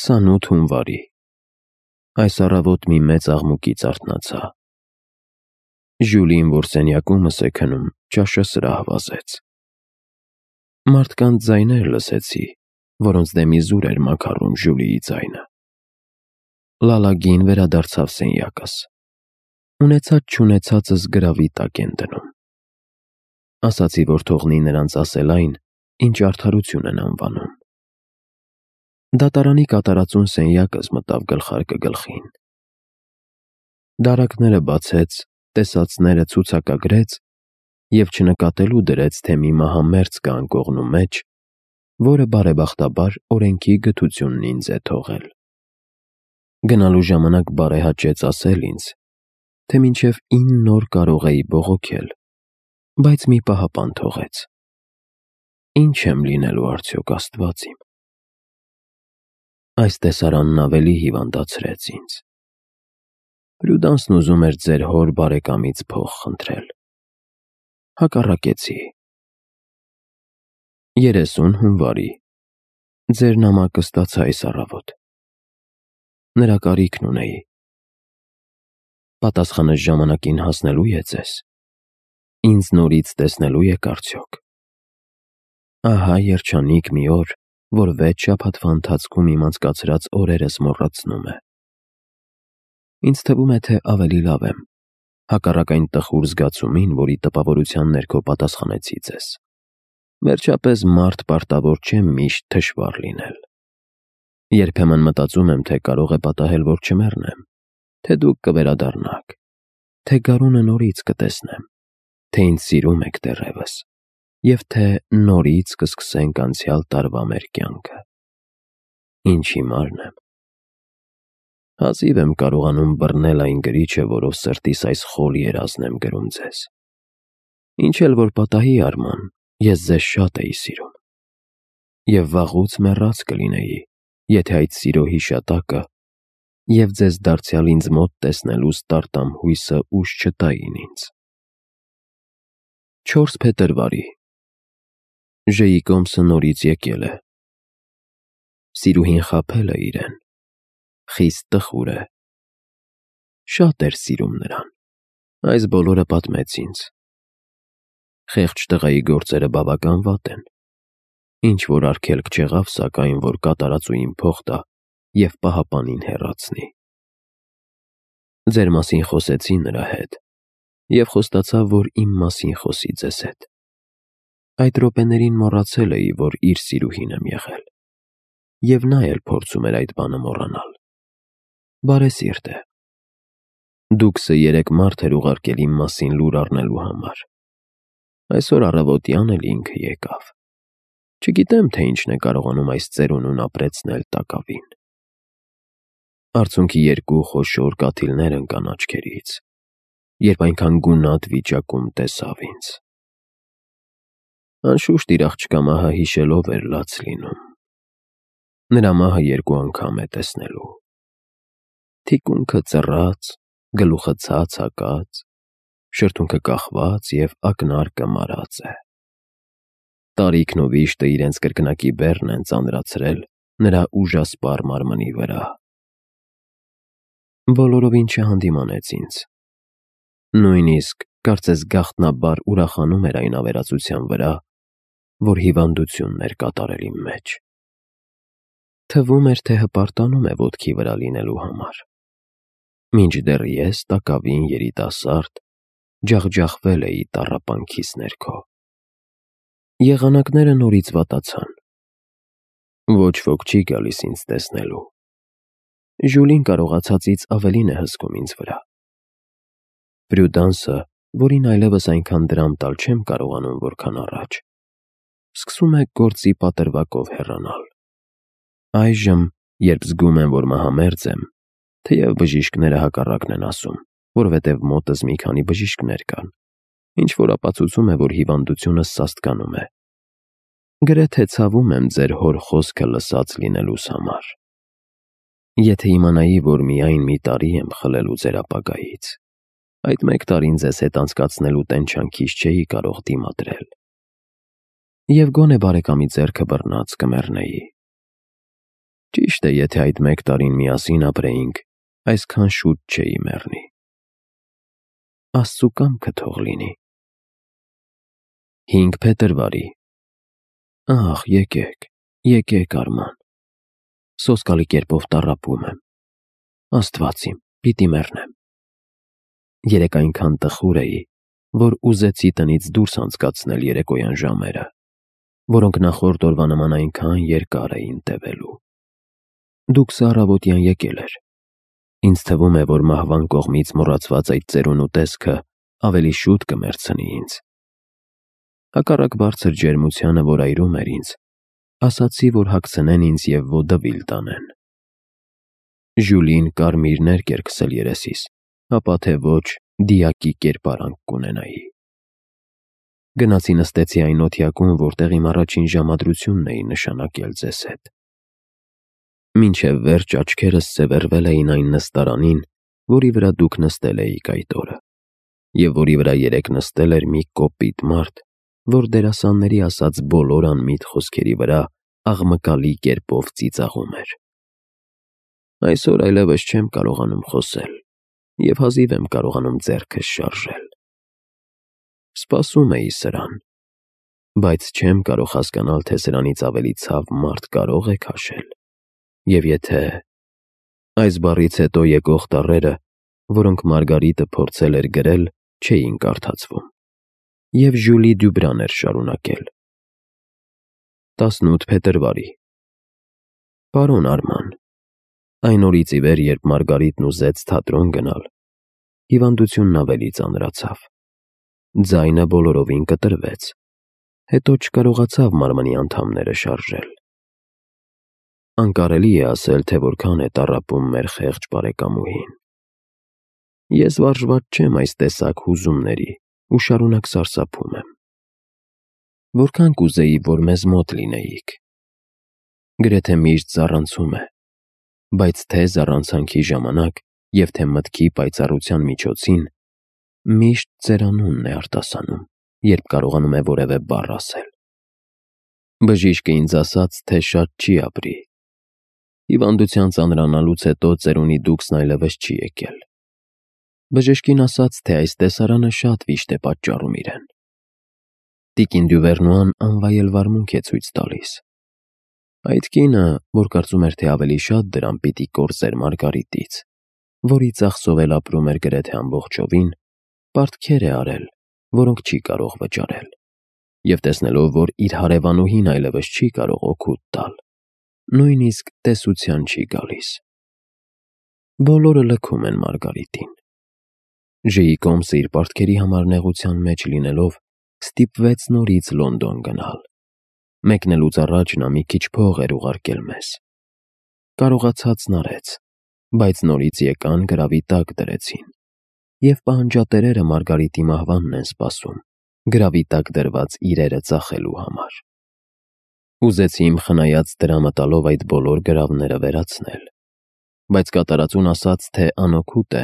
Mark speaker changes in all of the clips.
Speaker 1: 28 հունվարի։ Այս առավոտ մի մեծ աղմուկից արթնացա։ Ժյուլին, որ սենյակումս է քնում, ճաշը սրահ վազեց։ Մարդկանց ձայներ լսեցի, որոնց դեմ իզուր էր մաքարում Ժյուլիի ձայնը։ Լալագին վերադարձավ սենյակս։ Ունեցած-չունեցածս գրավի տակ են դնում։ Ասացի, որ թողնի նրանց ասել այն, ինչ արդարություն են անվանում։ Դատարանի կատարածուն սենյակս մտավ գլխարկը գլխին։ Դարակները բացեց, տեսածները ցուցակագրեց և չնկատելու դրեց, թե մի մահամերձ կա անկողնու մեջ, որը բարեբախտաբար օրենքի գթությունն ինձ է թողել։ Գնալու ժամանակ բարեհաճեց ասել ինձ, թե մինչև 9 օր կարող էի բողոքել, բայց մի պահապան թողեց։ Ինչ եմ լինելու արդյոք, Աստված իմ։ Այս տեսարանն ավելի հիվանդացրեց ինձ։ Պրյուդանսն ուզում էր ձեր հոր բարեկամից փող խնդրել։ Հակառակեցի։ 30 հունվարի։ Ձեր նամակը ստացա այս առավոտ։ Նրա կարիքն ունեի։ Պատասխանը ժամանակին հասնելու է ձեզ։ Ինձ նորից տեսնելու եք արդյոք։ Ահա երջանիկ մի օր, որ 6 շաբաթվա ընթացքում իմ անցկացրած օրերս մոռացնում է։ Ինձ թվում է, թե ավելի լավ եմ, հակառակ այն տխուր զգացումին, որի տպավորության ներքո պատասխանեցի ձեզ։ Վերջապես մարդ պարտավոր չէ միշտ թշվառ լինել։ Երբեմն մտածում եմ, թե կարող է պատահել, որ չմեռնեմ, թե դուք կվերադառնաք, թե գարունը նորից կտեսնեմ, թե ինձ սիրում եք դեռևս, և թե նորից կսկսենք անցյալ տարվա մեր կյանքը։ Ինչ հիմարն եմ։ Հազիվ եմ կարողանում բռնել այն գրիչը, որով սրտիս այս խոլ երազն եմ գրում ձեզ։ Ինչ էլ որ պատահի, Արման, ես ձեզ շատ էի սիրում։ Եվ վաղուց մեռած կլինեի, եթե այդ սիրո հիշատակը և ձեզ դարձյալ ինձ մոտ տեսնելու ստարտամ հույսը ուժ չտային ինձ։ 4 փետրվարի։ Ժեյկոմսը նորից եկել է։ Սիրուհին խաբել է իրեն։ Խիստ տխուր է։ Շատ էր սիրում նրան։ Այս բոլորը պատմեց ինձ։ Խեղճ տղայի գործերը բավական վատ են։ Ինչ որ արգելք չեղավ, սակայն, որ կատարածուին փող տա և պահապանին հեռացնի։ Ձեր մասին խոսեցի նրա հետ և խոստացավ, որ իմ մասին խոսի ձեզ հետ։ Այդ րոպեներին մոռացել էի, որ իր սիրուհին եմ եղել, և նա էլ փորձում էր այդ բանը մոռանալ։ Բարեսիրտ է։ Դուքսը 3 մարդ էր ուղարկել իմ մասին լուր առնելու համար։ Այսօր առավոտյան էլ ինքը եկավ։ Չգիտեմ, թե ինչն է կարողանում այս ծերունուն ապրեցնել տակավին։ Արցունքի 2 խոշոր կաթիլներ ընկան աչքերից, երբ այնքան գունատ վիճակում տեսավ ինձ։ Անշուշտ իր աղջկա մահը հիշելով էր լաց լինում։ Նրա մահը 2 անգամ է տեսնելու։ Թիկունքը ծռած, գլուխը ցած հակած, շրթունքը կախված և ակնարկը մարած է։ Տարիքն ու վիշտը իրենց կրկնակի բեռն են ծանրացրել նրա ուժասպառ մարմնի վրա։ Բոլորովին չհանդիմանեց ինձ։ Նույնիսկ, կարծես գաղտնաբար ուրախանում էր այն ավերածության վրա, որ հիվանդությունն էր կատարել իմ մեջ։ Թվում էր, թե հպարտանում է ոտքի վրա լինելու համար։ Մինչդեռ ես տակավին երիտասարդ ջախջախվել էի տառապանքիս ներքո։ Եղանակները նորից վատացան։ Ոչ ոք չի գալիս ինձ տեսնելու։ Ժյուլին կարողացածից ավելին է հսկում ինձ վրա։ Պրյուդանսը, որին այլևս այնքան դրամ տալ չեմ կարողանում, որքան առաջ, սկսում է գործի պատրվակով հեռանալ։ Այժմ, երբ զգում եմ, որ մահամերձ եմ, թեև բժիշկները հակառակն են ասում, որովհետև մոտս մի քանի բժիշկներ կան, ինչ-որ ապացուցում է, որ հիվանդությունս սաստկանում է։ Գրեթե ցավում եմ ձեր հոր խոսքը լսած լինելուս համար։ Եթե իմանայի, որ միայն մի տարի եմ խլելու ձեր ապագայից, այդ 1 տարին ձեզ հետ անցկացնելու տենչանքից չէի կարող դիմադրել։ Եվ գոնե բարեկամի ձեռքը բռնած կմեռնեի։ Ճիշտ է, եթե այդ 1 տարին միասին ապրեինք, այսքան շուտ չէի մեռնի։ Աստծու կամքը թող լինի։ 5 փետրվարի։ Ահ, եկեք Արման։ Սոսկալի կերպով տառապում եմ։ Աստված իմ, պիտի մեռնեմ։ Երեկ այնքան տխուր էի, որ ուզեցի տնից դուրս անցկացնել երեկոյան ժամերը, որոնք նախորդ օրվա նման այնքան երկար էին տևելու։ Դուքսը առավոտյան եկել էր։ Ինձ թվում է, որ մահվան կողմից մոռացված այդ ծերունու տեսքը ավելի շուտ կմեռցնի ինձ։ Հակառակ բարձր ջերմությանը, որ այրում էր ինձ, ասացի, որ հագցնեն ինձ և ոդվիլ տանեն։ Ժյուլին կարմիր ներկ էր քսել երեսիս, ապա թե ոչ դիակի կերպարանք կունենայի։ Գնացի նստեցի այն օթյակում, որտեղ իմ առաջին ժամադրությունն էի նշանակել ձեզ հետ։ Մինչև վերջ աչքերս սևեռվել էին այն նստարանին, որի վրա դուք նստել էիք այդ օրը, և որի վրա երեկ նստել էր մի կոպիտ մարդ, որ դերասանների ասած բոլոր անմիտ խոսքերի վրա աղմկալի կերպով ծիծաղում էր։ Այսօր այլևս չեմ կարողանում խոսել և հազիվ եմ կարողանում ձեռքս շարժել։ Սպասում էի սրան, բայց չեմ կարող հասկանալ, թե սրանից ավելի ցավ մարդ կարող է քաշել, և եթե… Այս բառից հետո եկող տառերը, որոնք Մարգարիտը փորձել էր գրել, չէին կարդացվում, և Ժյուլի Դյուբրան էր շարունակել. 18 փետրվարի։ Պարոն Արման, այն օրից ի վեր, երբ Մարգարիտն ուզեց թատրոն գնալ, հիվանդությունն ավելի ծանրացավ։ Ձայնը բոլորովին կտրվեց, հետո չկարողացավ մարմնի անդամները շարժել։ Անկարելի է ասել, թե որքան է տառապում մեր խեղճ բարեկամուհին։ Ես վարժված չեմ այս տեսակ հուզումների ու շարունակ սարսափում եմ։ Որքան կուզեի, որ մեզ մոտ լինեիք։ Գրեթե միշտ զառանցում է, բայց թե զառանցանքի ժամանակ և թե մտքի պայծառության միջոցին միշտ ձեր անունն է արտասանում, երբ կարողանում է որևէ բառ ասել։ Բժիշկը ինձ ասաց, թե շատ չի ապրի։ Հիվանդության ծանրանալուց հետո ծերունի դուքսն այլևս չի եկել։ Բժշկին ասաց, թե այս տեսարանը շատ վիշտ է պատճառում իրեն։ Տիկին Դյուվերնուան անվայել վարմունք է ցույց տալիս։ Այդ կինը, որ կարծում էր, թե ավելի շատ դրամ պիտի կորզեր Մարգարիտից, որի ծախսով էլ ապրում էր գրեթե ամբողջովին, պարտքեր է արել, որոնք չի կարող վճարել, և տեսնելով, որ իր հարևանուհին այլևս չի կարող օգուտ տալ, նույնիսկ տեսության չի գալիս։ Բոլորը լքում են Մարգարիտին։ Ժեյկոմսը իր պարտքերի համար նեղության մեջ լինելով ստիպվեց նորից Լոնդոն գնալ։ Մեկնելուց առաջ նա մի քիչ փող էր ուղարկել մեզ։ Կարողացածն արեց, բայց նորից եկան գրավի տակ դրեցին, և պահանջատերերը Մարգարիտի մահվանն են սպասում, գրավի տակ դրված իրերը ծախելու համար։ Ուզեցի իմ խնայած դրամը տալով այդ բոլոր գրավները վերացնել, բայց կատարածուն ասաց, թե անօգուտ է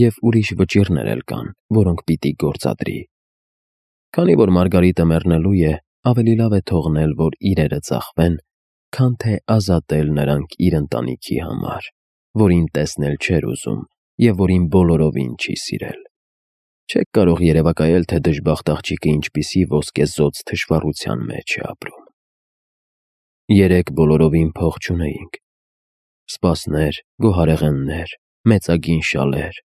Speaker 1: և ուրիշ վճիռներ էլ կան, որոնք պիտի գործադրի։ Քանի որ Մարգարիտը մեռնելու է, ավելի լավ է թողնել, որ իրերը ծախվեն, քան թե ազատել նրանք իր ընտանիքի համար, որին տեսնել չէր ուզում և որին բոլորովին չի սիրել։ Չեք կարող երևակայել, թե դժբախտ աղջիկը ինչպիսի ոսկեզօծ թշվառության մեջ է ապրում։ Երեկ բոլորովին փող չունեինք։ Սպասներ, գոհարեղեններ, մեծագին շալեր,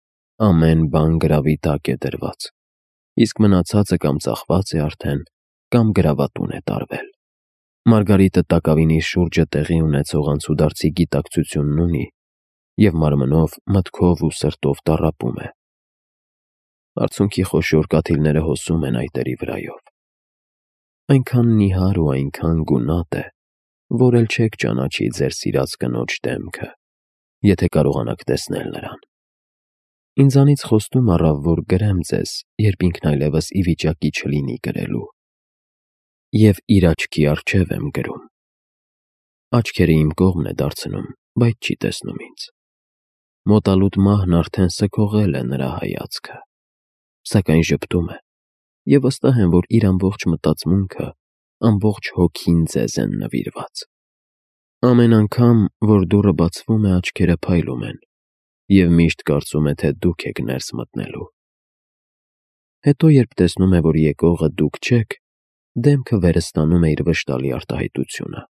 Speaker 1: ամեն բան գրավի տակ է դրված, իսկ մնացածը կամ ծախված է արդեն, կամ գրավատուն է տարվել։ Մարգարիտը տակավին իր շուրջը տեղի ունեցող անցուդարձի գիտակցությունն ունի և մարմնով, մտքով ու սրտով տառապում է։ Արցունքի խոշոր կաթիլները հոսում են այտերի վրայով։ Այնքան նիհար ու այնքան գունատ է, որ էլ չեք ճանաչի ձեր սիրած կնոջ դեմքը, եթե կարողանաք տեսնել նրան։ Ինձանից խոստում առավ, որ գրեմ ձեզ, երբ ինքն այլևս ի վիճակի չլինի գրելու։ Եվ իր աչքի առջև եմ գրում։ Աչքերը իմ կողմն է դարձնում, բայց չի տեսնում ինձ։ Մոտալուտ մահն արդեն սքողել է նրա հայացքը, սակայն ժպտում է, և վստահ եմ, որ իր ամբողջ մտածմունքը, ամբողջ հոգին ձեզ են նվիրված։ Ամեն անգամ, որ դուռը բացվում է, աչքերը փայլում են, և միշտ կարծում է, թե դուք եք ներս մտնելու։ Հետո, երբ տեսնում է, որ եկողը դուք չեք, դեմքը վերստանում է իր վշտալի արտահայտությունը,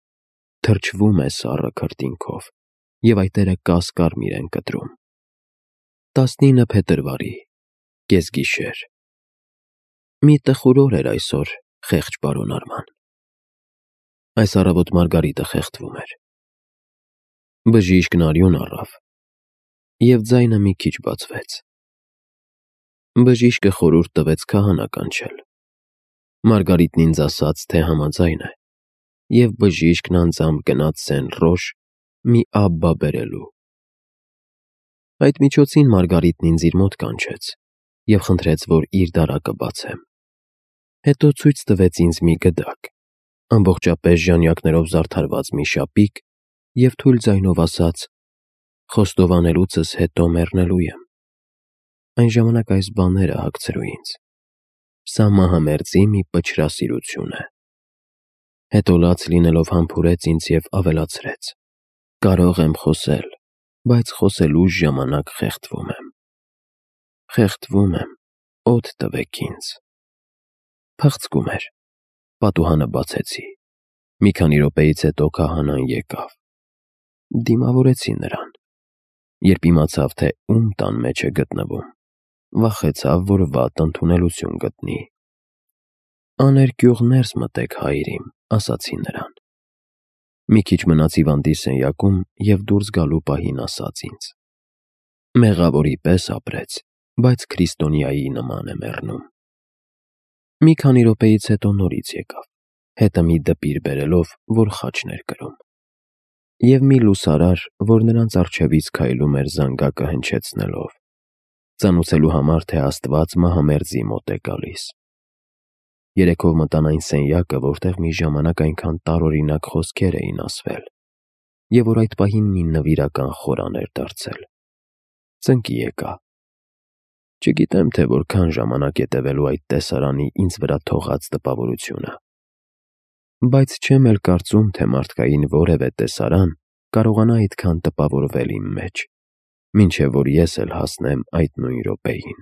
Speaker 1: թրջվում է սառը քրտինքով, և այտերը կասկարմիր են կտրում։ 19 փետրվարի, կեսգիշեր։ Մի տխուր օր էր այսօր, խեղճ պարոն Արման։ Այս առավոտ Մարգարիտը խեղդվում էր։ Բժիշկն արյուն առավ, և ձայնը մի քիչ բացվեց։ Բժիշկը խորհուրդ տվեց քահանա կանչել։ Մարգարիտն ինձ ասաց, թե համաձայն է, և բժիշկն անձամբ գնաց Սեն-Ռոշ մի Աբբա բերելու։ Այդ միջոցին Մարգարիտն ինձ իր մոտ կանչեց և խնդրեց, որ իր դարակը բացեմ։ Հետո ցույց տվեց ինձ մի գդակ, ամբողջապես ժանյակներով զարդարված մի շապիկ և թույլ ձայնով ասաց. «Խոստովանելուցս հետո մեռնելու եմ»։ Այն ժամանակ այս բաները հագցրու ինձ։ Սա մահամերձի մի պչրասիրություն է։ Հետո լաց լինելով համբուրեց ինձ և ավելացրեց. «Կարող եմ խոսել, բայց խոսելու ժամանակ խեղդվում եմ։ Խեղդվում եմ, օդ տվեք ինձ»։ Փախցկում էր։ Պատուհանը բացեցի։ Մի քանի րոպեից հետո քահանան եկավ։ Դիմավորեցի նրան։ Երբ իմացավ, թե ում տան մեջ է գտնվում, վախեցավ, որ վատ ընդունելություն գտնի։ «Աներկյուղ ներս մտեք, հայր իմ», ասացի նրան։ Մի քիչ մնաց հիվանդի սենյակում և դուրս գալու պահին ասաց ինձ. «Մեղավորի պես ապրեց, բայց քրիստոնյայի նման է մեռնում»։ Մի քանի րոպեից հետո նորից եկավ, հետը մի դպիր բերելով, որ խաչն էր կրում։ Եվ մի լուսարար, որ նրանց առջևից քայլում էր զանգակը հնչեցնելով, ծանուցելու համար, թե Աստված մահամերձի մոտ է գալիս։ Երեքով մտան այն սենյակը, որտեղ մի ժամանակ այնքան տարօրինակ խոսքեր էին ասվել, և որ այդ պահին մի նվիրական խորան էր դարձել։ Ծնկի եկա։ Չգիտեմ, թե որքան ժամանակ է տևելու այդ տեսարանի ինձ վրա թողած տպավորությունը։ Բայց չեմ էլ կարծում, թե մարդկային որևէ տեսարան կարողանա այդքան տպավորվել իմ մեջ, մինչև որ ես էլ հասնեմ այդ նույն րոպեին։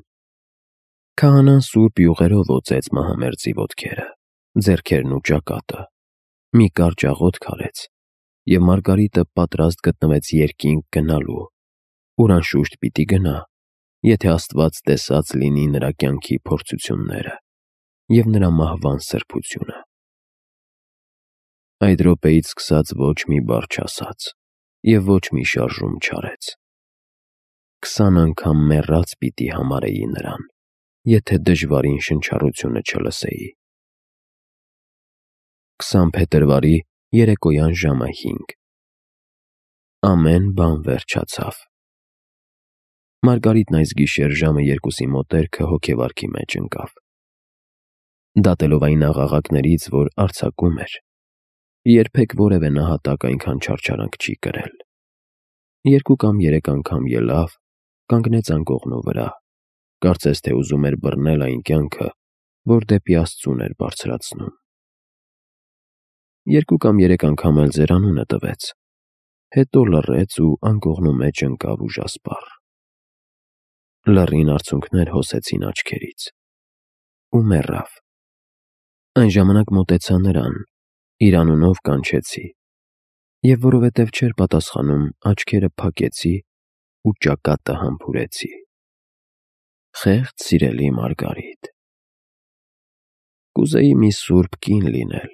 Speaker 1: Քահանան սուրբ յուղերով օծեց մահամերձի ոտքերը, ձեռքերն ու ճակատը, մի կարճ աղոթք արեց, և Մարգարիտը պատրաստ գտնվեց երկինք գնալու, ուր անշուշտ պիտի գնա, եթե Աստված տեսած լինի նրա կյանքի փորձությունները և նրա մահվան սրբությունը։ Այդ րոպեից սկսած ոչ մի բառ չասաց և ոչ մի շարժում չարեց։ 20 անգամ մեռած պիտի համարեի նրան, եթե դժվարին շնչառությունը չլսեի։ 20 փետրվարի երեկոյան ժամը 5։ Ամեն բան վերջացավ։ Մարգարիտն այս գիշեր ժամը 2-ի մոտերքը հոգեվարքի մեջ ընկավ։ Դատելով այն աղաղակներից, որ արձակում էր, երբեք որևէ նահատակ այնքան չարչարանք չի կրել։ 2 կամ 3 անգամ ելավ, կանգնեց անկողնու վրա, կարծես թե ուզում էր բռնել այն կյանքը, որ դեպի Աստծուն էր բարձրացնում։ 2 կամ 3 անգամ էլ ձերանունը տվեց, հետո լռեց ու անկողնու մեջ ընկավ ուժասպառ։ Լռին արցունքներ հոսեցին աչքերից ու մեռավ։ Այն ժամանակ մոտեցա նրան, իր անունով կանչեցի, և որովհետև չէր պատասխանում, աչքերը փակեցի ու ճակատը համբուրեցի։ Խեղճ սիրելի Մարգարիտ, կուզեի մի սուրբ կին լինել,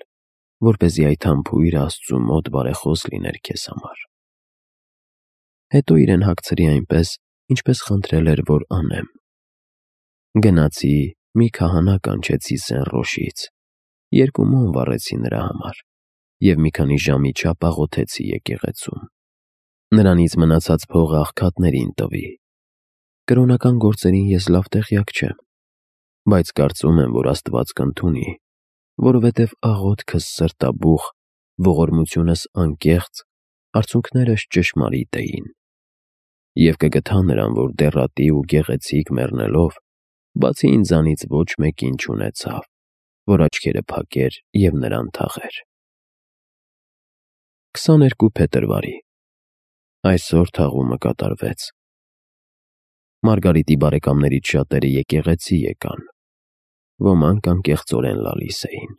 Speaker 1: որպեսզի այդ համբույրը Աստծու մոտ բարեխոս լիներ քեզ համար։ Հետո իրեն հագցրի այնպես, ինչպես խնդրել էր, որ անեմ։ Գնացի, մի քահանա կանչեցի Սեն-Ռոշից, 2 մոմ վառեցի նրա համար և մի քանի ժամի չափ աղոթեցի եկեղեցում։ Նրանից մնացած փողը աղքատներին տվի։ Կրոնական գործերին ես լավ տեղյակ չեմ, բայց կարծում եմ, որ Աստված կընդունի, որովհետև աղոթքս սրտաբուխ, ողորմությունս անկեղծ, արցունքներս ճշմարիտ էին։ Եվ կգթա նրան, որ դեռատի ու գեղեցիկ մեռնելով, բացի ինձանից ոչ մեկին չունեցավ, որ աչքերը փակեր և նրան թաղեր։ 22 փետրվարի։ Այսօր թաղումը կատարվեց։ Մարգարիտի բարեկամներից շատերը եկեղեցի եկան, ոմանք անկեղծորեն լալիս էին։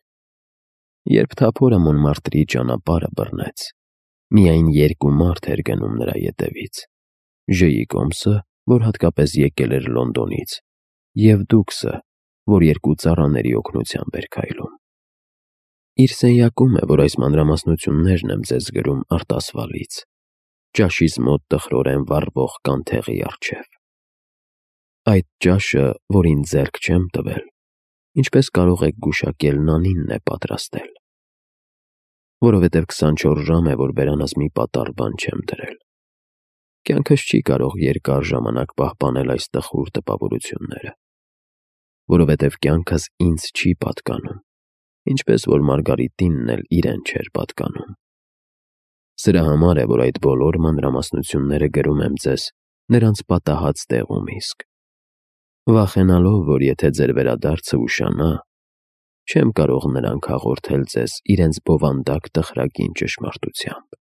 Speaker 1: Երբ Թափորը Մոնմարտրի ճանապարհը բռնեց, միայն 2 մարդ էր գնում նրա ետևից. Ժեյի Կոմսը, որ հատկապես եկել էր Լոնդոնից, և Դուքսը, որ 2 ծառաների օգնությամբ էր քայլում։ Իր սենյակում է, որ այս մանրամասնություններն եմ ձեզ գրում արտասվալից, ճաշիս մոտ տխրորեն վառվող կանթեղի առջև։ Այդ ճաշը, որին ձեռք չեմ տվել, ինչպես կարող եք գուշակել, Նանինն է պատրաստել, որովհետև 24 ժամ է, որ բերանս մի պատառ բան չեմ դրել։ Կյանքս չի կարող երկար ժամանակ պահպանել այս տխուր տպավորությունները, որովհետև կյանքս ինձ չի պատկանում, ինչպես որ Մարգարիտինն էլ իրեն չէր պատկանում։ Սրա համար է, որ այդ բոլոր մանրամասնությունները գրում եմ ձեզ նրանց պատահած տեղում իսկ, վախենալով, որ եթե ձեր վերադարձը ուշանա, չեմ կարող նրանք հաղորդել ձեզ իրենց բովանդակ տխրագին ճշմարտությամբ։